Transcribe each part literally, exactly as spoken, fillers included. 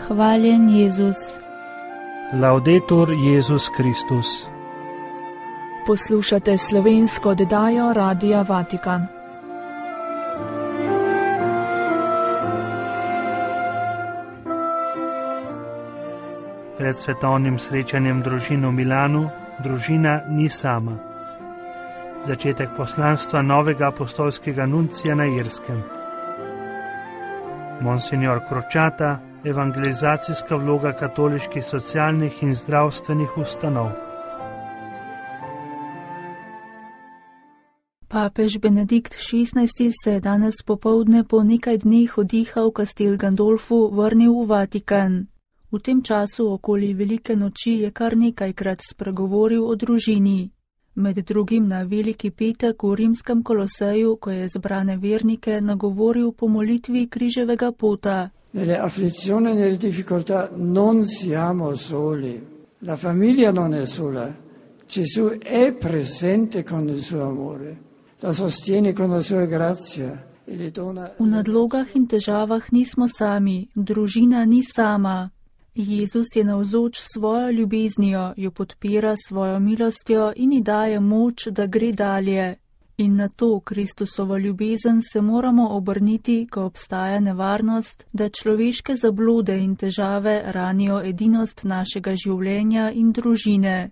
Hvaljen Jezus. Laudetur Jezus Kristus. Poslušate slovensko oddajo Radia Vatikan. Pred svetovnim srečanjem družin v Milanu družina ni sama. Začetek poslanstva novega apostolskega nuncija na Irskem. Monsignor Kročata, evangelizacijska vloga katoliških socialnih in zdravstvenih ustanov. Papež Benedikt šestnajsti se je danes popoldne po nekaj dneh oddiha v Castel Gandolfu vrnil v Vatikan. V tem času okoli Velike noči je kar nekajkrat spregovoril o družini. Med drugim na Veliki petek v rimskem Koloseju, ko je zbrane vernike nagovoril po molitvi križevega pota. Nelle afflizioni e nelle difficoltà non siamo soli. La famiglia non è sola. Gesù è presente con il suo amore. La sostiene con la sua grazia e le dona. V nadlogah in težavah nismo sami, družina ni sama. Jezus je navzoč svojo ljubeznijo, jo podpira svojo milostjo in ji daje moč, da gre dalje. In na to Kristusovo ljubezen se moramo obrniti, ko obstaja nevarnost, da človeške zablode in težave ranijo edinost našega življenja in družine.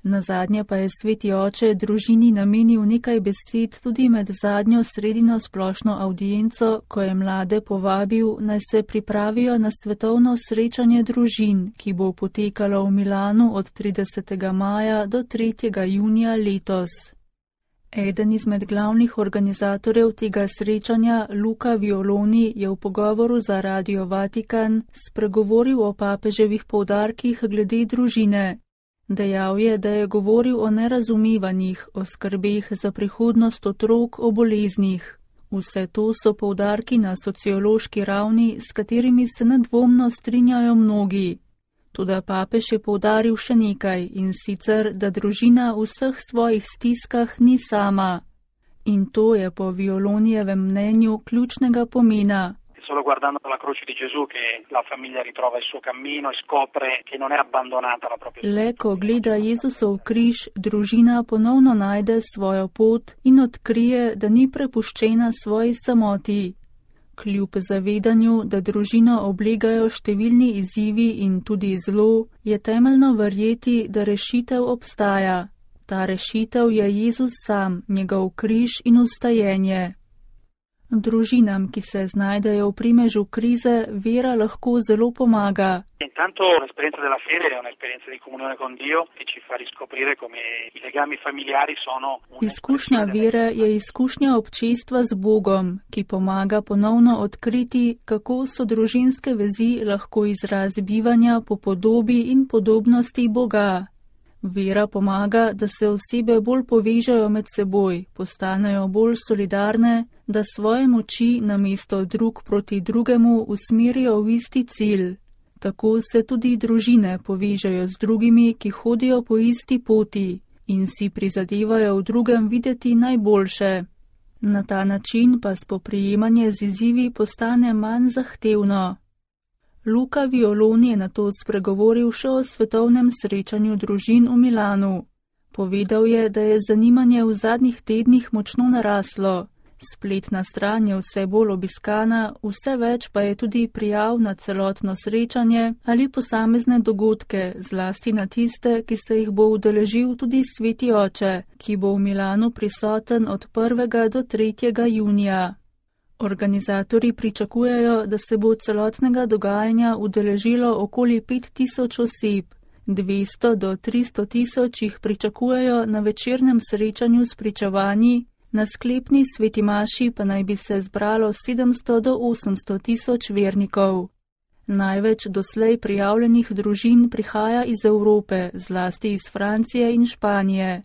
Nazadnje pa je sveti oče družini namenil nekaj besed tudi med zadnjo sredino splošno avdienco, ko je mlade povabil, naj se pripravijo na svetovno srečanje družin, ki bo potekalo v Milanu od tridesetega maja do tretjega junija letos. Eden izmed glavnih organizatorjev tega srečanja, Luca Violoni, je v pogovoru za Radio Vatikan spregovoril o papeževih poudarkih glede družine. Dejal je, da je govoril o nerazumevanjih, o skrbeh za prihodnost otrok, o boleznih. Vse to so poudarki na sociološki ravni, s katerimi se nedvomno strinjajo mnogi. Toda papež je poudaril še nekaj, in sicer, da družina v vseh svojih stiskah ni sama. In to je po Violonijevem mnenju ključnega pomena. Solo guardando la croce di Gesù che la famiglia ritrova il suo cammino e scopre che non è abbandonata la propria. Le ko gleda Jezusov križ, družina ponovno najde svojo pot in odkrije, da ni prepuščena svoji samoti. Kljub zavedanju, da družino oblegajo številni izzivi in tudi zlo, je temeljno verjeti, da rešitev obstaja. Ta rešitev je Jezus sam, njegov križ in vstajenje. Družinam, ki se znajdejo v primežu krize, vera lahko zelo pomaga. Intanto l'esperienza della fede è un'esperienza di comunione con Dio che ci fa riscoprire come i legami familiari sono. Izkušnja vere je izkušnja občestva z Bogom, ki pomaga ponovno odkriti, kako so družinske vezi lahko izraz bivanja po podobi in podobnosti Boga. Vera pomaga, da se osebe bolj povežejo med seboj, postanejo bolj solidarne, da svoje moči namesto drug proti drugemu usmerijo v isti cilj. Tako se tudi družine povežejo z drugimi, ki hodijo po isti poti in si prizadevajo v drugem videti najboljše. Na ta način pa spoprijemanje z izzivi postane manj zahtevno. Luca Violoni je nato spregovoril še o svetovnem srečanju družin v Milanu. Povedal je, da je zanimanje v zadnjih tednih močno naraslo. Spletna stran je vse bolj obiskana, vse več pa je tudi prijav na celotno srečanje ali posamezne dogodke, zlasti na tiste, ki se jih bo udeležil tudi sveti oče, ki bo v Milanu prisoten od prvega do tretjega junija. Organizatorji pričakujejo, da se bo celotnega dogajanja udeležilo okoli pet tisoč oseb, dvesto do tristo tisoč jih pričakujejo na večernem srečanju s pričevanji, na sklepni sveti maši pa naj bi se zbralo sedemsto do osemsto tisoč vernikov. Največ doslej prijavljenih družin prihaja iz Evrope, zlasti iz Francije in Španije.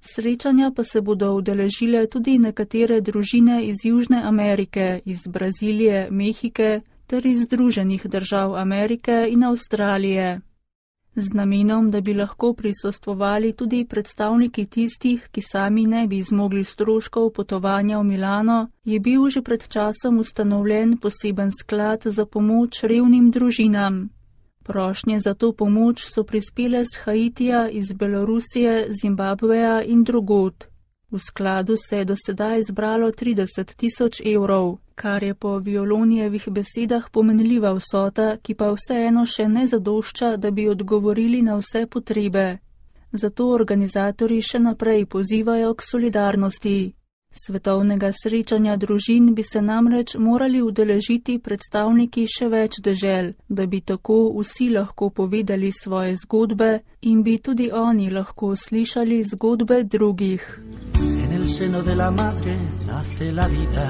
Srečanja pa se bodo udeležile tudi nekatere družine iz Južne Amerike, iz Brazilije, Mehike ter iz Združenih držav Amerike in Avstralije. Z namenom, da bi lahko prisostvovali tudi predstavniki tistih, ki sami ne bi zmogli stroškov potovanja v Milano, je bil že pred časom ustanovljen poseben sklad za pomoč revnim družinam. Prošnje za to pomoč so prispele z Haitija, iz Belorusije, Zimbabveja in drugod. V skladu se je do sedaj zbralo trideset tisoč evrov, kar je po Violonijevih besedah pomenljiva vsota, ki pa vseeno še ne zadošča, da bi odgovorili na vse potrebe. Zato organizatorji še naprej pozivajo k solidarnosti. Svetovnega srečanja družin bi se namreč morali udeležiti predstavniki še več dežel, da bi tako vsi lahko povedali svoje zgodbe in bi tudi oni lahko slišali zgodbe drugih. En el seno de la madre nace la vida.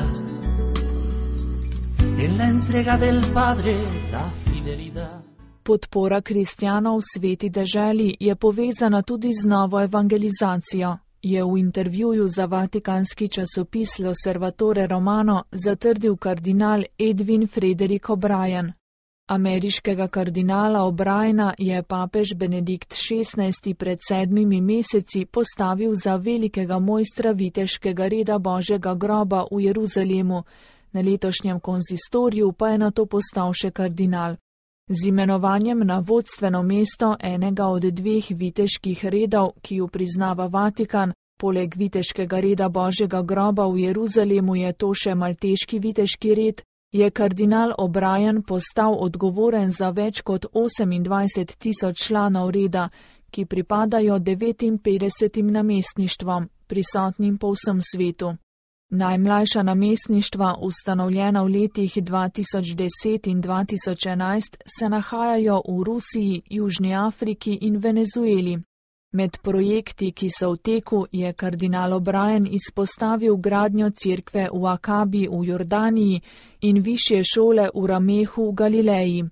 En la entrega del padre la fidelidad. Podpora kristjanov v sveti deželi je povezana tudi z novo evangelizacijo, je v intervjuju za vatikanski časopis L'Osservatore Romano zatrdil kardinal Edwin Frederick O'Brien. Ameriškega kardinala O'Briena je papež Benedikt šestnajsti pred sedmimi meseci postavil za velikega mojstra viteškega reda Božjega groba v Jeruzalemu, na letošnjem konzistoriju pa je nato postal še kardinal. Z imenovanjem na vodstveno mesto enega od dveh viteških redov, ki ju priznava Vatikan, poleg viteškega reda Božjega groba v Jeruzalemu je to še malteški viteški red, je kardinal O'Brien postal odgovoren za več kot osemindvajset tisoč članov reda, ki pripadajo devetinpetdesetim namestništvom, prisotnim po vsem svetu. Najmlajša namestništva, ustanovljena v letih dva tisoč deset in dva tisoč enajst, se nahajajo v Rusiji, Južni Afriki in Venezueli. Med projekti, ki so v teku, je kardinal O'Brien izpostavil gradnjo cerkve v Akabi v Jordaniji in višje šole v Ramehu v Galileji.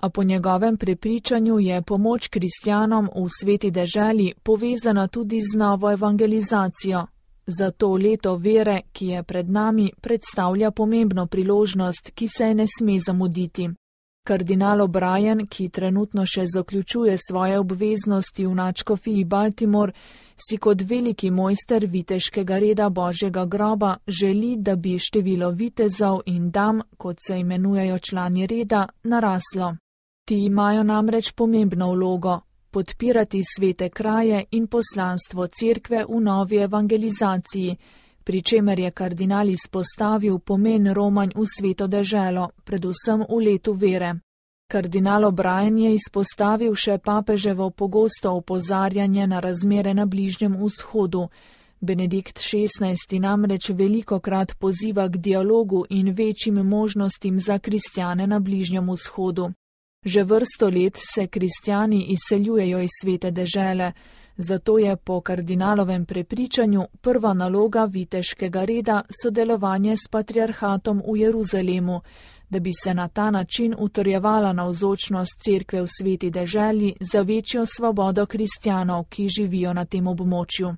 A po njegovem prepričanju je pomoč kristjanom v sveti deželi povezana tudi z novo evangelizacijo. Zato leto vere, ki je pred nami, predstavlja pomembno priložnost, ki se je ne sme zamuditi. Kardinal O'Brien, ki trenutno še zaključuje svoje obveznosti v nadškofiji Baltimore, si kot veliki mojster viteškega reda Božjega groba želi, da bi število vitezov in dam, kot se imenujejo člani reda, naraslo. Ti imajo namreč pomembno vlogo. Podpirati svete kraje in poslanstvo cerkve v novi evangelizaciji, pri čemer je kardinal izpostavil pomen romanj v sveto deželo, predvsem v letu vere. Kardinal O'Brien je izpostavil še papeževo pogosto opozarjanje na razmere na Bližnjem vzhodu. Benedikt šestnajsti namreč velikokrat poziva k dialogu in večjim možnostim za kristjane na Bližnjem vzhodu. Že vrsto let se kristjani izseljujejo iz svete dežele, zato je po kardinalovem prepričanju prva naloga viteškega reda sodelovanje s patriarhatom v Jeruzalemu, da bi se na ta način utrjevala navzočnost cerkve v sveti deželi za večjo svobodo kristjanov, ki živijo na tem območju.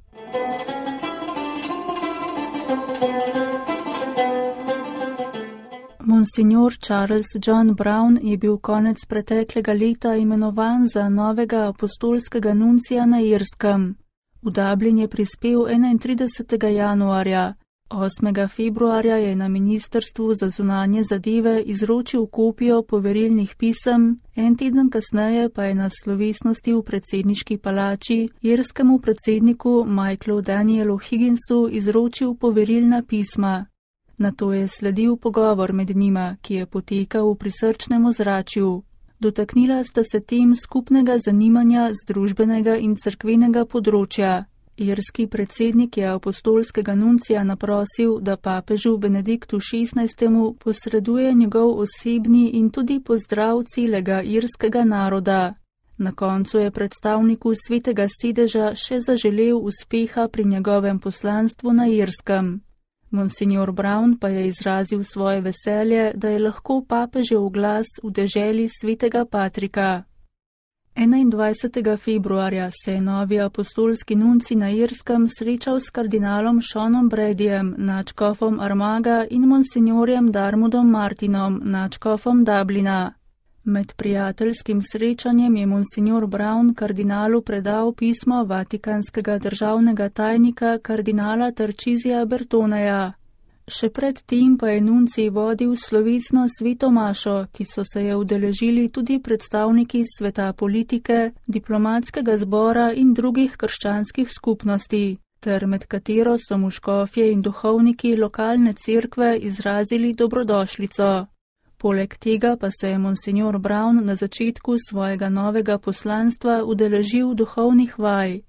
Monsignor Charles John Brown je bil konec preteklega leta imenovan za novega apostolskega nuncija na Irskem. V Dublin je prispel enaintridesetega januarja. osmega februarja je na Ministrstvu za zunanje zadeve izročil kopijo poverilnih pisem, en teden kasneje pa je na slovesnosti v predsedniški palači irskemu predsedniku Michaelu Danielu Higginsu izročil poverilna pisma. Nato je sledil pogovor med njima, ki je potekal v prisrčnem ozračju. Dotaknila sta se tem skupnega zanimanja z družbenega in cerkvenega področja. Irski predsednik je apostolskega nuncija naprosil, da papežu Benediktu šestnajstemu posreduje njegov osebni in tudi pozdrav celega irskega naroda. Na koncu je predstavniku svetega sedeža še zaželel uspeha pri njegovem poslanstvu na Irskem. Monsignor Brown pa je izrazil svoje veselje, da je lahko papežev glas v deželi svetega Patrika. enaindvajsetega februarja se je novi apostolski nunci na Irskem srečal s kardinalom Seanom Bradyjem, nadškofom Armaga in monsignorjem Darmudom Martinom, nadškofom Dublina. Med prijateljskim srečanjem je monsignor Brown kardinalu predal pismo vatikanskega državnega tajnika kardinala Tarčizija Bertoneja. Še pred tem pa je nuncij vodil slovesno sveto mašo, ki so se je udeležili tudi predstavniki sveta politike, diplomatskega zbora in drugih krščanskih skupnosti, ter med katero so mu škofje in duhovniki lokalne cerkve izrazili dobrodošlico. Poleg tega pa se je monsignor Brown na začetku svojega novega poslanstva udeležil duhovnih vaj.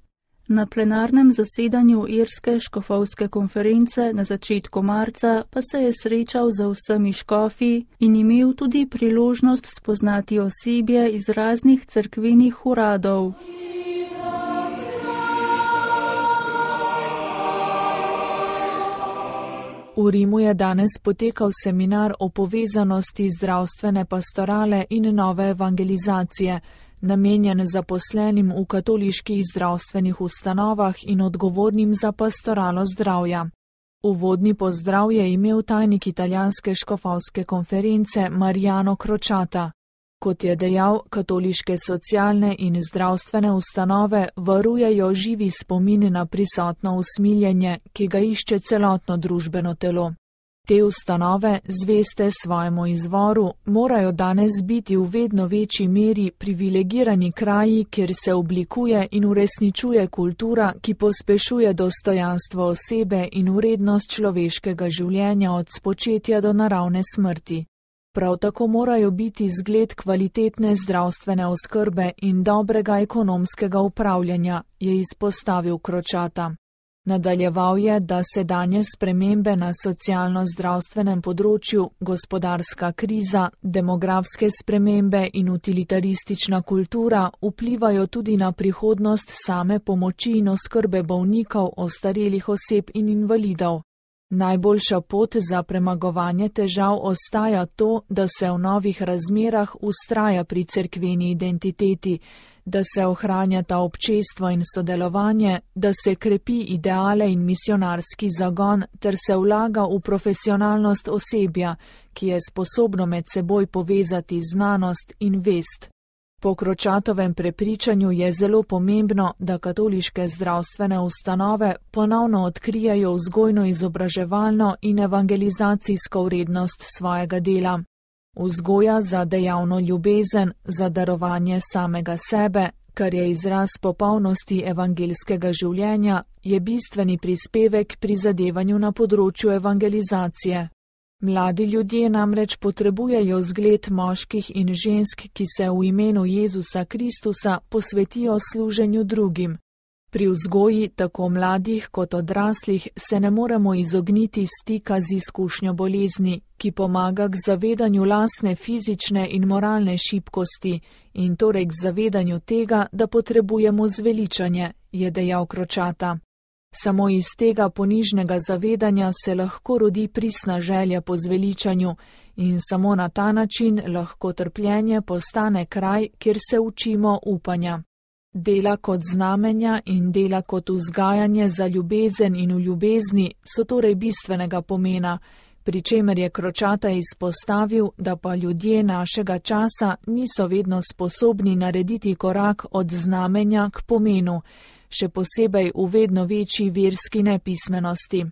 Na plenarnem zasedanju Irske škofovske konference na začetku marca pa se je srečal z vsemi škofi in imel tudi priložnost spoznati osebje iz raznih cerkvenih uradov. V Rimu je danes potekal seminar o povezanosti zdravstvene pastorale in nove evangelizacije, namenjen zaposlenim v katoliških zdravstvenih ustanovah in odgovornim za pastoralo zdravja. Uvodni pozdrav je imel tajnik italijanske škofovske konference Mariano Crociata. Kot je dejal, katoliške socialne in zdravstvene ustanove varujejo živi spomin na prisotno usmiljenje, ki ga išče celotno družbeno telo. Te ustanove, zveste svojemu izvoru, morajo danes biti v vedno večji meri privilegirani kraji, kjer se oblikuje in uresničuje kultura, ki pospešuje dostojanstvo osebe in vrednost človeškega življenja od spočetja do naravne smrti. Prav tako morajo biti zgled kvalitetne zdravstvene oskrbe in dobrega ekonomskega upravljanja, je izpostavil Crociata. Nadaljeval je, da sedanje spremembe na socialno-zdravstvenem področju, gospodarska kriza, demografske spremembe in utilitaristična kultura vplivajo tudi na prihodnost same pomoči in oskrbe bolnikov, ostarelih oseb in invalidov. Najboljša pot za premagovanje težav ostaja to, da se v novih razmerah vztraja pri cerkveni identiteti, da se ohranjata občestvo in sodelovanje, da se krepi ideale in misionarski zagon ter se vlaga v profesionalnost osebja, ki je sposobno med seboj povezati znanost in vest. Po Crociatovem prepričanju je zelo pomembno, da katoliške zdravstvene ustanove ponovno odkrijajo vzgojno-izobraževalno in evangelizacijsko vrednost svojega dela. Vzgoja za dejavno ljubezen, za darovanje samega sebe, kar je izraz popolnosti evangelskega življenja, je bistveni prispevek pri zadevanju na področju evangelizacije. Mladi ljudje namreč potrebujejo zgled moških in žensk, ki se v imenu Jezusa Kristusa posvetijo služenju drugim. Pri vzgoji tako mladih kot odraslih se ne moremo izogniti stika z izkušnjo bolezni, ki pomaga k zavedanju lastne fizične in moralne šibkosti in torej k zavedanju tega, da potrebujemo zveličanje, je dejal Crociata. Samo iz tega ponižnega zavedanja se lahko rodi pristna želja po zveličanju in samo na ta način lahko trpljenje postane kraj, kjer se učimo upanja. Dela kot znamenja in dela kot vzgajanje za ljubezen in v ljubezni so torej bistvenega pomena, pri čemer je Crociata izpostavil, da pa ljudje našega časa niso vedno sposobni narediti korak od znamenja k pomenu, še posebej v vedno večji verski nepismenosti.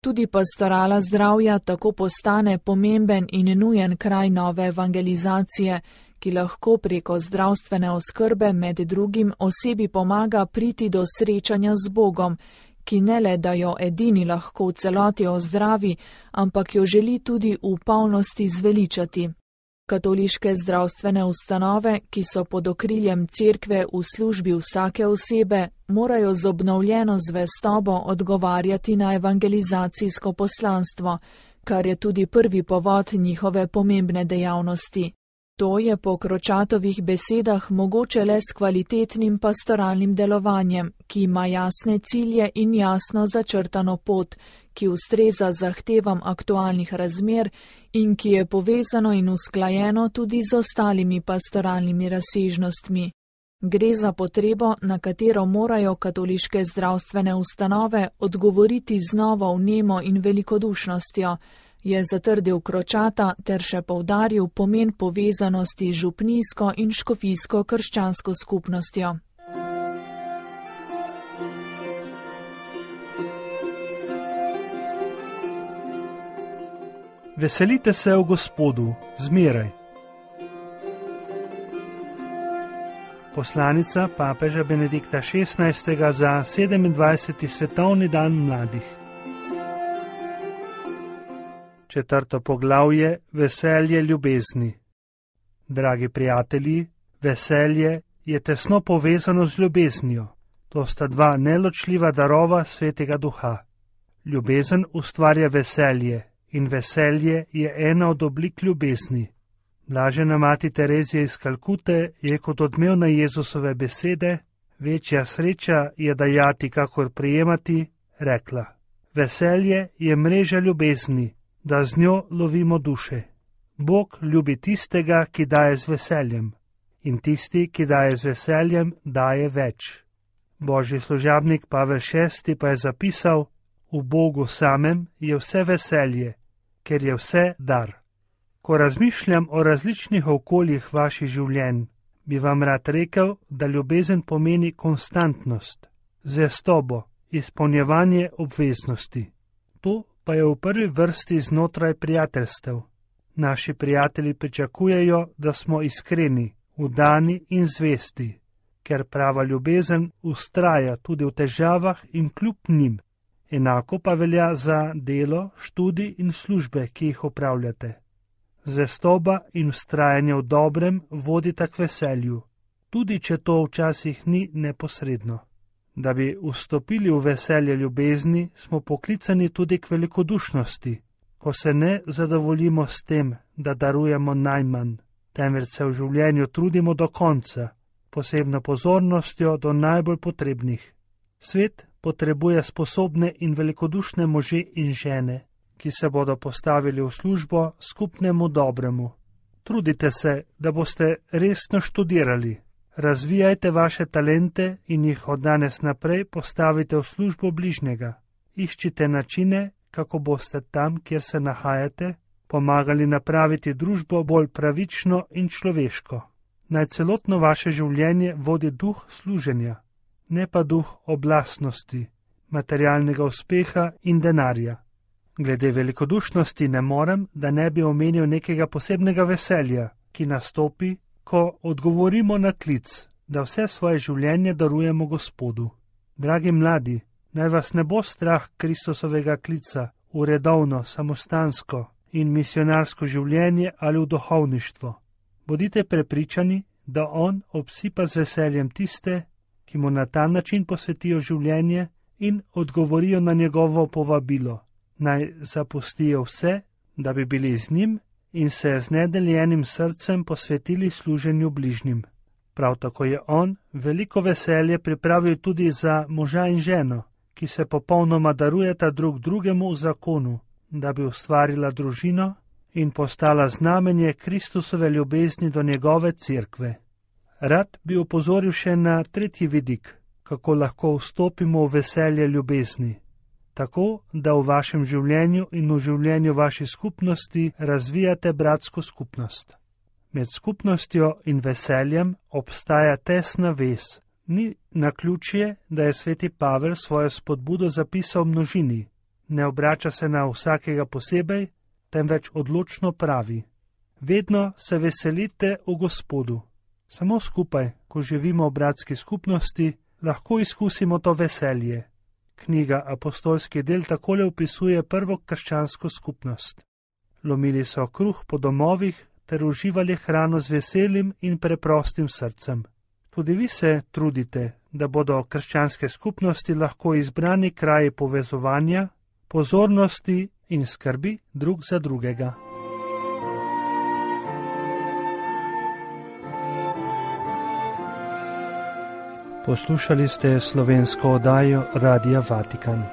Tudi pastorala zdravja tako postane pomemben in nujen kraj nove evangelizacije, ki lahko preko zdravstvene oskrbe med drugim osebi pomaga priti do srečanja z Bogom, ki ne le da jo edini lahko v celoti ozdravi, ampak jo želi tudi v polnosti zveličati. Katoliške zdravstvene ustanove, ki so pod okriljem cerkve v službi vsake osebe, morajo z obnovljeno zvestobo odgovarjati na evangelizacijsko poslanstvo, kar je tudi prvi povod njihove pomembne dejavnosti. To je po Crociatovih besedah mogoče le s kvalitetnim pastoralnim delovanjem, ki ima jasne cilje in jasno začrtano pot, ki ustreza zahtevam aktualnih razmer in ki je povezano in usklajeno tudi z ostalimi pastoralnimi razsežnostmi. Gre za potrebo, na katero morajo katoliške zdravstvene ustanove odgovoriti z novo vnemo in velikodušnostjo, je zatrdil Kročata ter še poudaril pomen povezanosti z župnijsko in škofijsko krščansko skupnostjo. Veselite se v Gospodu, zmeraj. Poslanica papeža Benedikta šestnajstega za sedemindvajseti svetovni dan mladih. Četrto poglavje: veselje ljubezni. Dragi prijatelji, veselje je tesno povezano z ljubeznijo. To sta dva neločljiva darova Svetega Duha. Ljubezen ustvarja veselje in veselje je ena od oblik ljubezni. Blažena mati Terezija iz Kalkute je kot odmevna Jezusove besede, večja sreča je dajati, kakor prijemati, rekla: veselje je mreža ljubezni, da z njo lovimo duše. Bog ljubi tistega, ki daje z veseljem, in tisti, ki daje z veseljem, daje več. Božji služabnik Pavel šesti pa je zapisal: v Bogu samem je vse veselje, ker je vse dar. Ko razmišljam o različnih okoljih vaših življenj, bi vam rad rekel, da ljubezen pomeni konstantnost, zvestobo, izpolnjevanje obveznosti. To pa je v prvi vrsti znotraj prijateljstev. Naši prijatelji pričakujejo, da smo iskreni, vdani in zvesti, ker prava ljubezen vztraja tudi v težavah in kljub njim. Enako pa velja za delo, študij in službe, ki jih opravljate. Zvestoba in vztrajanje v dobrem vodita k veselju, tudi če to včasih ni neposredno. Da bi vstopili v veselje ljubezni, smo poklicani tudi k velikodušnosti, ko se ne zadovoljimo s tem, da darujemo najmanj, temveč se v življenju trudimo do konca, posebno pozornostjo do najbolj potrebnih. Svet potrebuje sposobne in velikodušne može in žene, ki se bodo postavili v službo skupnemu dobremu. Trudite se, da boste resno študirali. Razvijajte vaše talente in jih od danes naprej postavite v službo bližnjega. Iščite načine, kako boste tam, kjer se nahajate, pomagali napraviti družbo bolj pravično in človeško. Naj celotno vaše življenje vodi duh služenja, ne pa duh oblastnosti, materialnega uspeha in denarja. Glede velikodušnosti ne morem, da ne bi omenil nekega posebnega veselja, ki nastopi, ko odgovorimo na klic, da vse svoje življenje darujemo Gospodu. Dragi mladi, naj vas ne bo strah Kristusovega klica v redovno, samostansko in misionarsko življenje ali v duhovništvo. Bodite prepričani, da On obsipa z veseljem tiste, ki mu na ta način posvetijo življenje in odgovorijo na njegovo povabilo. Naj zapustijo vse, da bi bili z njim in se z nedeljenim srcem posvetili služenju bližnjim. Prav tako je on veliko veselje pripravil tudi za moža in ženo, ki se popolnoma darujeta drug drugemu v zakonu, da bi ustvarila družino in postala znamenje Kristusove ljubezni do njegove cerkve. Rad bi opozoril še na tretji vidik, kako lahko vstopimo v veselje ljubezni. Tako, da v vašem življenju in v življenju vaši skupnosti razvijate bratsko skupnost. Med skupnostjo in veseljem obstaja tesna vez. Ni naključje, da je sveti Pavel svojo spodbudo zapisal množini. Ne obrača se na vsakega posebej, temveč odločno pravi: vedno se veselite v Gospodu. Samo skupaj, ko živimo v bratski skupnosti, lahko izkusimo to veselje. Knjiga Apostolski del takole opisuje prvo krščansko skupnost. Lomili so kruh po domovih ter uživali hrano z veselim in preprostim srcem. Tudi vi se trudite, da bodo krščanske skupnosti lahko izbrani kraji povezovanja, pozornosti in skrbi drug za drugega. Poslušali ste slovensko oddajo Radia Vatikan.